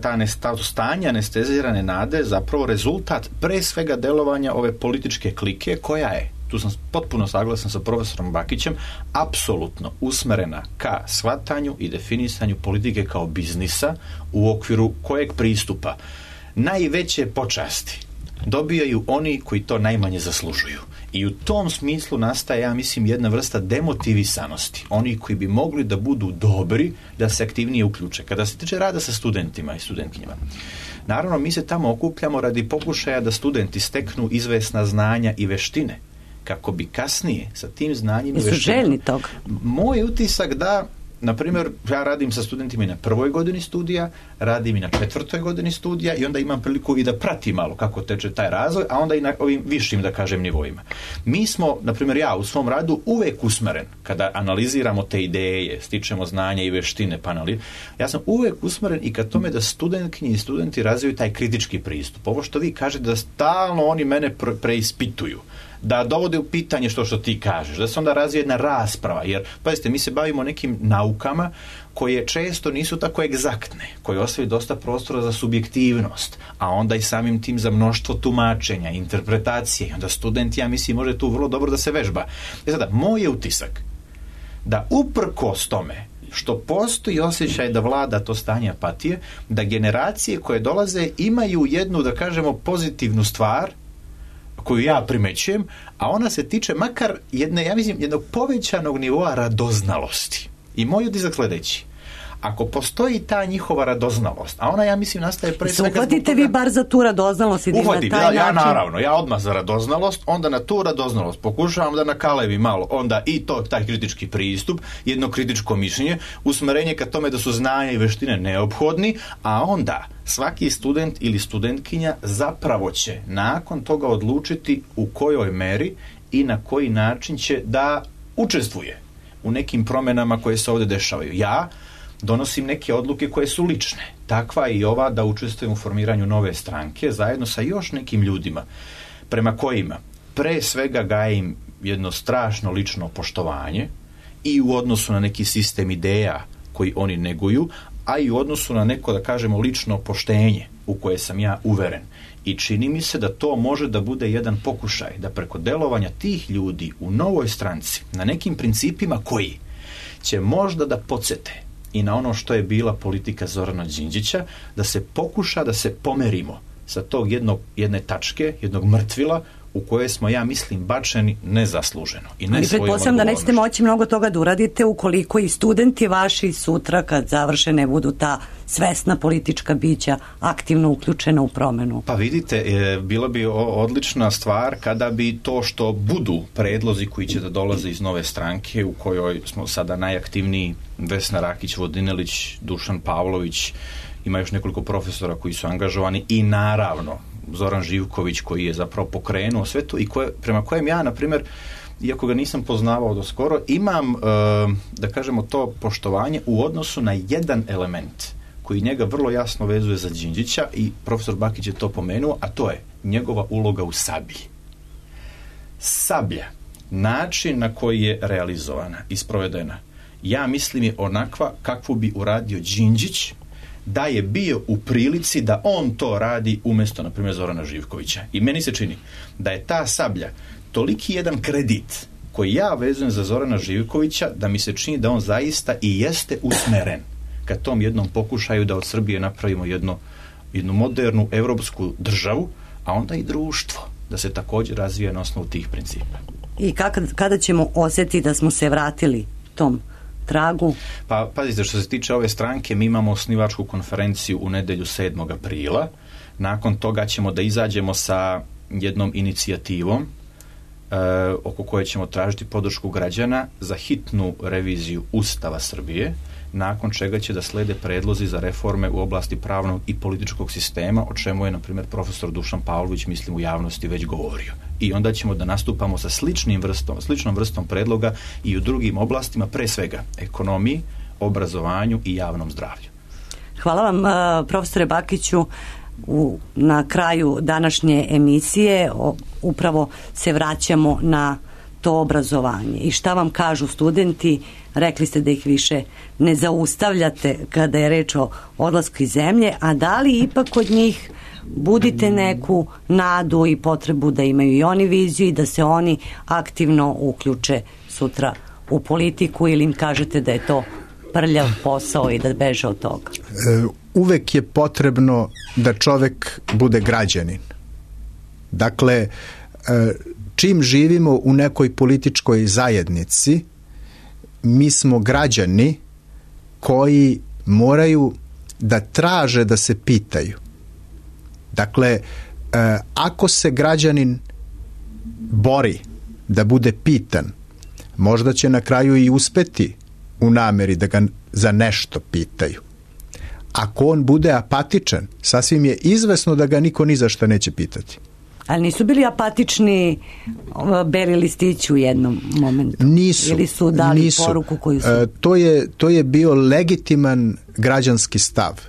ta stanje anestezirane nade zapravo rezultat pre svega delovanja ove političke klike koja je, tu sam potpuno saglasan sa profesorom Bakićem, apsolutno usmerena ka shvatanju i definisanju politike kao biznisa u okviru kojeg pristupa najveće počasti dobijaju oni koji to najmanje zaslužuju. I u tom smislu nastaje, ja mislim, jedna vrsta demotivisanosti. Oni koji bi mogli da budu dobri, da se aktivnije uključe. Kada se tiče rada sa studentima i studentkinjama, naravno, mi se tamo okupljamo radi pokušaja da studenti steknu izvesna znanja i veštine, kako bi kasnije sa tim znanjem i veštinama... Jesu željni toga? Moj utisak da, na primjer, ja radim sa studentima i na 1. godini studija, radim i na 4. godini studija i onda imam priliku i da pratim malo kako teče taj razvoj, a onda i na ovim višim, da kažem, nivoima. Mi smo, na primjer, ja u svom radu uvek usmeren, kada analiziramo te ideje, stičemo znanja i veštine, ja sam uvek usmeren i ka tome da studentkinje i studenti razviju taj kritički pristup. Ovo što vi kažete, da stalno oni mene preispituju, da dovode u pitanje što ti kažeš, da se onda razvije jedna rasprava, jer, pazite, mi se bavimo nekim naukama koje često nisu tako egzaktne, koje ostavljaju dosta prostora za subjektivnost, a onda i samim tim za mnoštvo tumačenja, interpretacije, i onda student, ja mislim, može tu vrlo dobro da se vežba. Sada, moj je utisak da uprkos tome što postoji osjećaj da vlada to stanje apatije, da generacije koje dolaze imaju jednu, da kažemo, pozitivnu stvar koju ja primećujem, a ona se tiče makar jednog povećanog nivoa radoznalosti. I moj utisak sljedeći: ako postoji ta njihova radoznalost, a ona, ja mislim, nastaje pre svega... Uhvatite vi bar za tu radoznalost i Uhvatim, na taj način... Ja naravno, ja odmah za radoznalost, onda na tu radoznalost pokušavam da nakalevim malo, onda i taj kritički pristup, jedno kritičko mišljenje, usmerenje ka tome da su znanja i veštine neophodni, a onda svaki student ili studentkinja zapravo će nakon toga odlučiti u kojoj meri i na koji način će da učestvuje u nekim promjenama koje se ovdje dešavaju. Ja donosim neke odluke koje su lične. Takva i ova, da učestvujem u formiranju nove stranke zajedno sa još nekim ljudima prema kojima pre svega gajim jedno strašno lično poštovanje i u odnosu na neki sistem ideja koji oni neguju, a i u odnosu na neko, da kažemo, lično poštenje u koje sam ja uveren. I čini mi se da to može da bude jedan pokušaj da preko delovanja tih ljudi u novoj stranci, na nekim principima koji će možda da podsete i na ono što je bila politika Zorana Đinđića, da se pokuša da se pomerimo sa tog jedne tačke, jednog mrtvila u kojoj smo, ja mislim, bačeni nezasluženo i ne Ali svojom pretpostavljam da nećete odgovornošću. moći mnogo toga da uradite ukoliko i studenti vaši sutra kad završe ne budu ta svesna politička bića aktivno uključena u promenu. Pa vidite, bilo bi odlična stvar kada bi to što budu predlozi koji će da dolaze iz nove stranke u kojoj smo sada najaktivniji, Vesna Rakić, Vodinelić, Dušan Pavlović, ima još nekoliko profesora koji su angažovani i naravno Zoran Živković koji je zapravo pokrenuo sve to i prema kojem ja, na primjer, iako ga nisam poznavao do skoro, imam, da kažemo, to poštovanje u odnosu na jedan element koji njega vrlo jasno vezuje za Đinđića i profesor Bakić je to pomenuo, a to je njegova uloga u sablji. Sablja, način na koji je realizovana i sprovedena, ja mislim je onakva kakvu bi uradio Đinđić da je bio u prilici da on to radi umjesto, na primjer, Zorana Živkovića. I meni se čini da je ta sablja toliki jedan kredit koji ja vezujem za Zorana Živkovića da mi se čini da on zaista i jeste usmeren ka tom jednom pokušaju da od Srbije napravimo jednu modernu evropsku državu, a onda i društvo da se također razvija na osnovu tih principa. I kada ćemo osjetiti da smo se vratili tom tragu? Pa pazite, što se tiče ove stranke, mi imamo osnivačku konferenciju u nedjelju 7. aprila. Nakon toga ćemo da izađemo sa jednom inicijativom oko koje ćemo tražiti podršku građana za hitnu reviziju Ustava Srbije, nakon čega će da slede predlozi za reforme u oblasti pravnog i političkog sistema, o čemu je, na primjer, profesor Dušan Pavlović, mislim, u javnosti već govorio. I onda ćemo da nastupamo sa sličnom vrstom predloga i u drugim oblastima, pre svega ekonomiji, obrazovanju i javnom zdravlju. Hvala vam, profesore Bakiću. Na kraju današnje emisije upravo se vraćamo na to obrazovanje. I šta vam kažu studenti? Rekli ste da ih više ne zaustavljate kada je reč o odlasku iz zemlje, a da li ipak kod njih budite neku nadu i potrebu da imaju i oni viziju i da se oni aktivno uključe sutra u politiku, ili im kažete da je to prljav posao i da beže od toga? Uvek je potrebno da čovek bude građanin. Dakle, čim živimo u nekoj političkoj zajednici, mi smo građani koji moraju da traže da se pitaju. Dakle, ako se građanin bori da bude pitan, možda će na kraju i uspeti u nameri da ga za nešto pitaju. Ako on bude apatičan, sasvim je izvesno da ga niko ni za šta neće pitati. Ali nisu bili apatični beli listići u jednom momentu? Nisu. Ili su dali poruku koju su... To je bio legitiman građanski stav.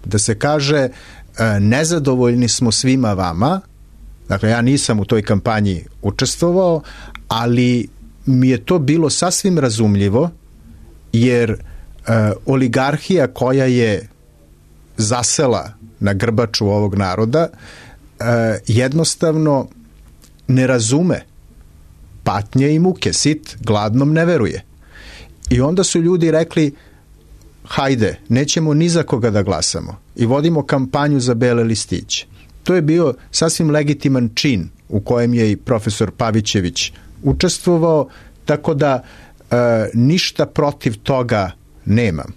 Da se kaže, nezadovoljni smo svima vama. Dakle, ja nisam u toj kampanji učestvovao, ali mi je to bilo sasvim razumljivo, jer oligarhija koja je zasela na grbaču ovog naroda jednostavno ne razume patnje i muke. Sit gladnom ne veruje. I onda su ljudi rekli, hajde, nećemo ni za koga da glasamo i vodimo kampanju za bele listiće. To je bio sasvim legitiman čin u kojem je i profesor Pavićević učestvovao, tako da ništa protiv toga nemam.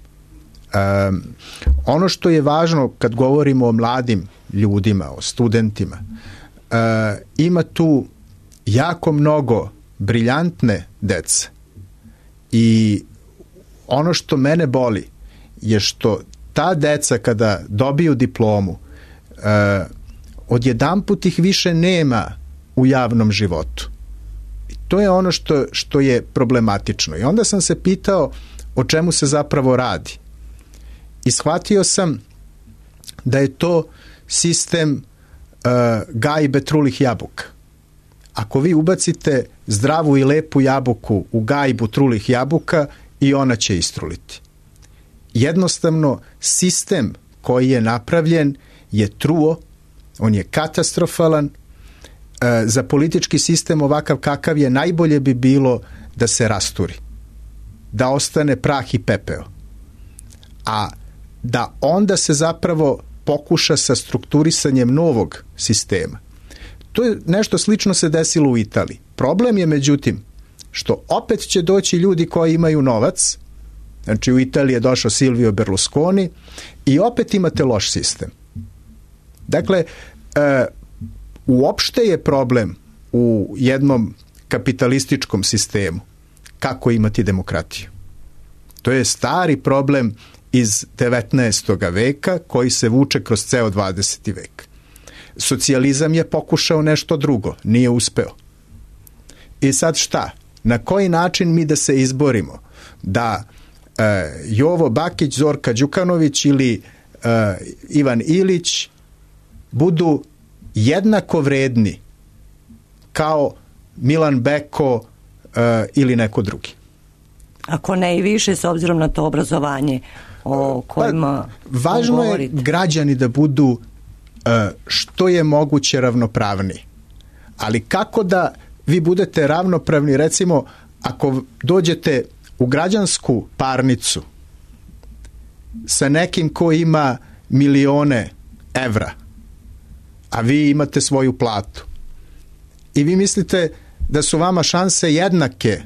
Ono što je važno kad govorimo o mladim ljudima, o studentima, ima tu jako mnogo briljantne dece i ono što mene boli je što ta deca kada dobiju diplomu, odjedanput ih više nema u javnom životu. I to je ono što je problematično. I onda sam se pitao o čemu se zapravo radi. I shvatio sam da je to sistem gajbe trulih jabuka. Ako vi ubacite zdravu i lepu jabuku u gajbu trulih jabuka, i ona će istruliti. Jednostavno, sistem koji je napravljen je truo, on je katastrofalan. Za politički sistem ovakav kakav je, najbolje bi bilo da se rasturi, da ostane prah i pepeo, a da onda se zapravo pokuša sa strukturisanjem novog sistema. To je nešto slično se desilo u Italiji. Problem je međutim što opet će doći ljudi koji imaju novac. Znači u Italiji je došao Silvio Berlusconi i opet imate loš sistem. Dakle, uopšte je problem u jednom kapitalističkom sistemu kako imati demokratiju. To je stari problem iz 19. veka koji se vuče kroz ceo 20. vek. Socijalizam je pokušao nešto drugo, nije uspeo. I sad šta? Na koji način mi da se izborimo? Da Jovo Bakić, Zorka Đukanović ili Ivan Ilić budu jednako vredni kao Milan Beko ili neko drugi. Ako ne i više, s obzirom na to obrazovanje o kojima važno govorite. je građani da budu što je moguće ravnopravni. Ali kako da vi budete ravnopravni, recimo, ako dođete u građansku parnicu sa nekim ko ima milione evra, a vi imate svoju platu i vi mislite da su vama šanse jednake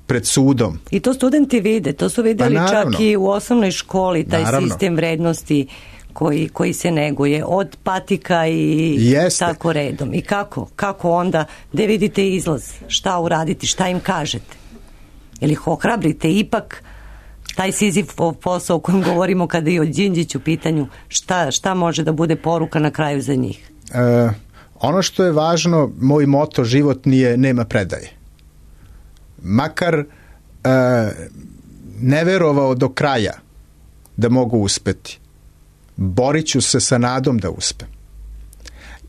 pred sudom. I to studenti vide, to su vidjeli čak i u osnovnoj školi, taj sistem vrednosti koji se neguje od patika i tako redom. I kako onda, gde vidite izlaz, šta uraditi, šta im kažete? Ili ih ohrabrite ipak taj Sizifov posao o kojem govorimo kada je o Đinđiću u pitanju, šta može da bude poruka na kraju za njih? Ono što je važno, moj moto životni je nema predaje. Makar ne verovao do kraja da mogu uspeti, borit ću se sa nadom da uspem.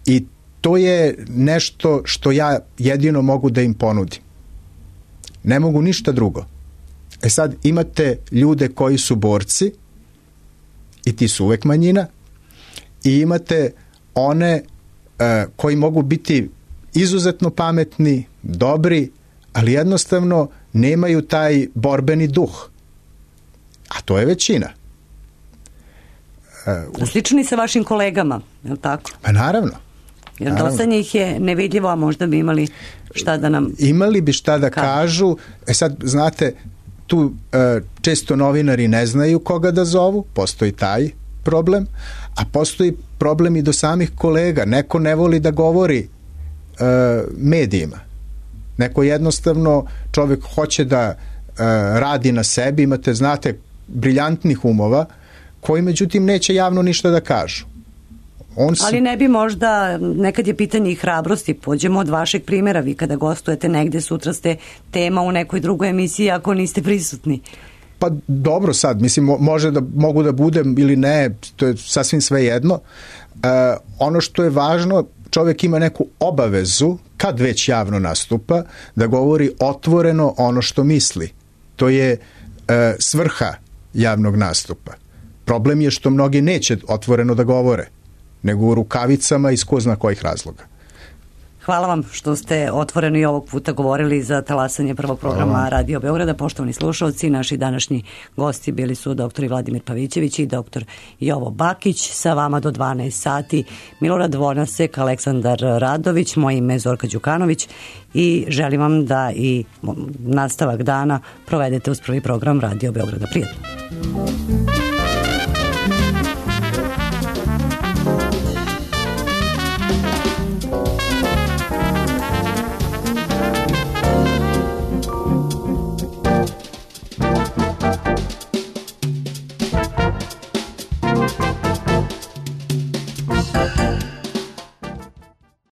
I to je nešto što ja jedino mogu da im ponudim. Ne mogu ništa drugo. Sad imate ljude koji su borci i ti su uvek manjina i imate one koji mogu biti izuzetno pametni, dobri, ali jednostavno nemaju taj borbeni duh. A to je većina. Slični sa vašim kolegama, je li tako? Pa naravno. Jer dosta njih je nevidljivo, a možda bi imali šta da nam... Imali bi šta da kažu. Sad, znate, tu često novinari ne znaju koga da zovu, postoji taj problem, a postoji problem i do samih kolega. Neko ne voli da govori medijima. Neko jednostavno, čovjek hoće da radi na sebi, imate, znate, briljantnih umova, koji međutim neće javno ništa da kažu. Ali ne bi možda, nekad je pitanje i hrabrosti, pođemo od vašeg primjera, vi kada gostujete negde, sutra ste tema u nekoj drugoj emisiji ako niste prisutni. Pa dobro sad, mislim, mogu da budem ili ne, to je sasvim sve jedno. Ono što je važno, čovjek ima neku obavezu, kad već javno nastupa, da govori otvoreno ono što misli. To je svrha javnog nastupa. Problem je što mnogi neće otvoreno da govore, nego u rukavicama iz ko zna kojih razloga. Hvala vam što ste otvoreno i ovog puta govorili za talasanje prvog programa Radio Beograda. Poštovani slušalci, naši današnji gosti bili su dr. Vladimir Pavićević i dr. Jovo Bakić. Sa vama do 12 sati Milorad Vonasek, Aleksandar Radović, moje ime je Zorka Đukanović i želim vam da i nastavak dana provedete uz prvi program Radio Beograda. Prijetno.